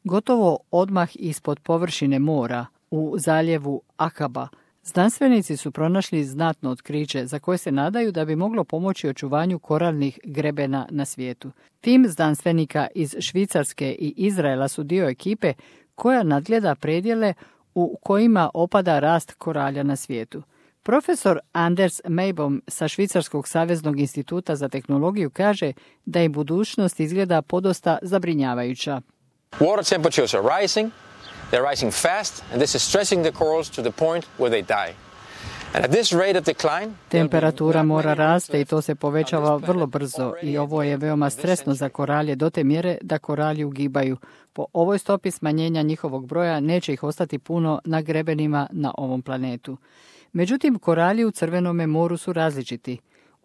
Gotovo odmah ispod površine mora, u zaljevu Akaba, znanstvenici su pronašli znatno otkriće za koje se nadaju da bi moglo pomoći očuvanju koralnih grebena na svijetu. Tim znanstvenika iz Švicarske i Izraela su dio ekipe koja nadgleda predjele u kojima opada rast koralja na svijetu. Profesor Anders Meibom sa Švicarskog saveznog instituta za tehnologiju kaže da i budućnost izgleda podosta zabrinjavajuća. Water temperatures are rising. They're rising fast, and this is stressing the corals to the point where they die. And at this rate of decline, temperatura mora raste i to se povećava vrlo brzo i ovo je veoma stresno za koralje do te mjere da koralji ugibaju. Po ovoj stopi smanjenja njihovog broja neće ih ostati puno na grebenima na ovom planetu. Međutim, koralji u Crvenome moru su različiti.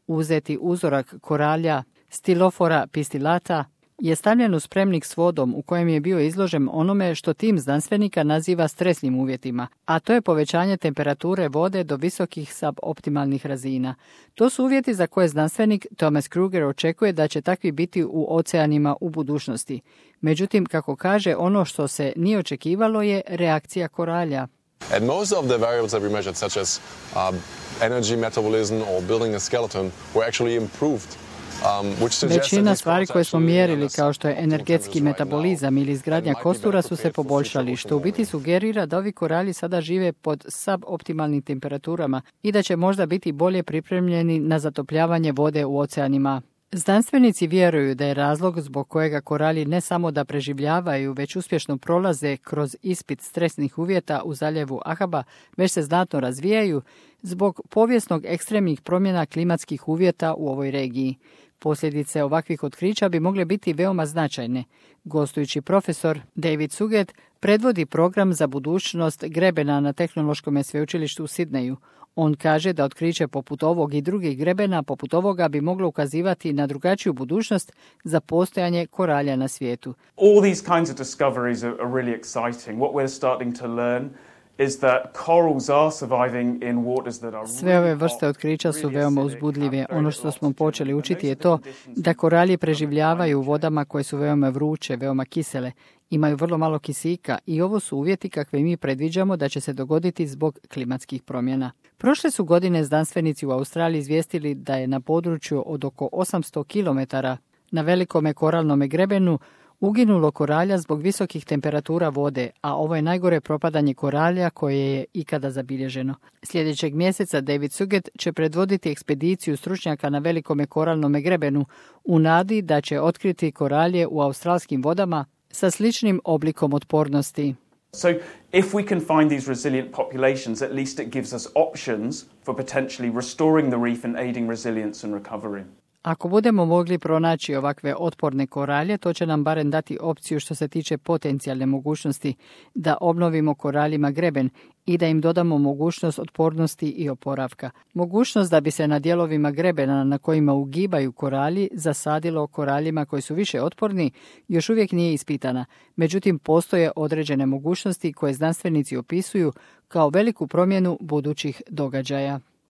Uzeti uzorak koralja Stylophorae pistillata je stavljen u spremnik s vodom u kojem je bio izložen onome što tim znanstvenika naziva stresnim uvjetima, a to je povećanje temperature vode do visokih suboptimalnih razina. To su uvjeti za koje znanstvenik Thomas Kruger očekuje da će takvi biti u oceanima u budućnosti. Međutim, kako kaže, ono što se nije očekivalo je reakcija koralja. And most of the variables that we measured, such as energy metabolism or building a skeleton, were actually improved. Većina stvari koje smo mjerili, kao što je energetski metabolizam ili izgradnja kostura, su se poboljšali, što u biti sugerira da ovi koralji sada žive pod suboptimalnim temperaturama i da će možda biti bolje pripremljeni na zatopljavanje vode u oceanima. Znanstvenici vjeruju da je razlog zbog kojega koralji ne samo da preživljavaju, već uspješno prolaze kroz ispit stresnih uvjeta u zaljevu Akaba, već se znatno razvijaju zbog povijesnog ekstremnih promjena klimatskih uvjeta u ovoj regiji. Posljedice ovakvih otkrića bi mogle biti veoma značajne. Gostujući profesor David Suget predvodi program za budućnost grebena na Tehnološkom sveučilištu u Sidneju. On kaže da otkriće poput ovog i drugih grebena poput ovoga bi moglo ukazivati na drugačiju budućnost za postojanje koralja na svijetu. All these kinds of discoveries are really exciting. What we're starting to learn is that corals are surviving in waters that are Sve ove vrste otkrića su veoma uzbudljive. Ono što smo počeli učiti je to da koralji preživljavaju u vodama koje su veoma vruće, veoma kisele, imaju vrlo malo kisika i ovo su uvjeti kakve mi predviđamo da će se dogoditi zbog klimatskih promjena. Prošle su godine znanstvenici u Australiji izvijestili da je na području od oko 800 km na velikome koralnome grebenu uginulo koralja zbog visokih temperatura vode, a ovo je najgore propadanje koralja koje je ikada zabilježeno. Sljedećeg mjeseca David Suget će predvoditi ekspediciju stručnjaka na velikome koralnome grebenu u nadi da će otkriti koralje u australskim vodama sa sličnim oblikom otpornosti. So if we can find these resilient populations, at least it gives us options for potentially restoring the reef and aiding resilience and recovery. Ako budemo mogli pronaći ovakve otporne koralje, to će nam barem dati opciju što se tiče potencijalne mogućnosti da obnovimo koraljima greben i da im dodamo mogućnost otpornosti i oporavka. Mogućnost da bi se na dijelovima grebena na kojima ugibaju koralji zasadilo koraljima koji su više otporni još uvijek nije ispitana. Međutim, postoje određene mogućnosti koje znanstvenici opisuju kao veliku promjenu budućih događaja.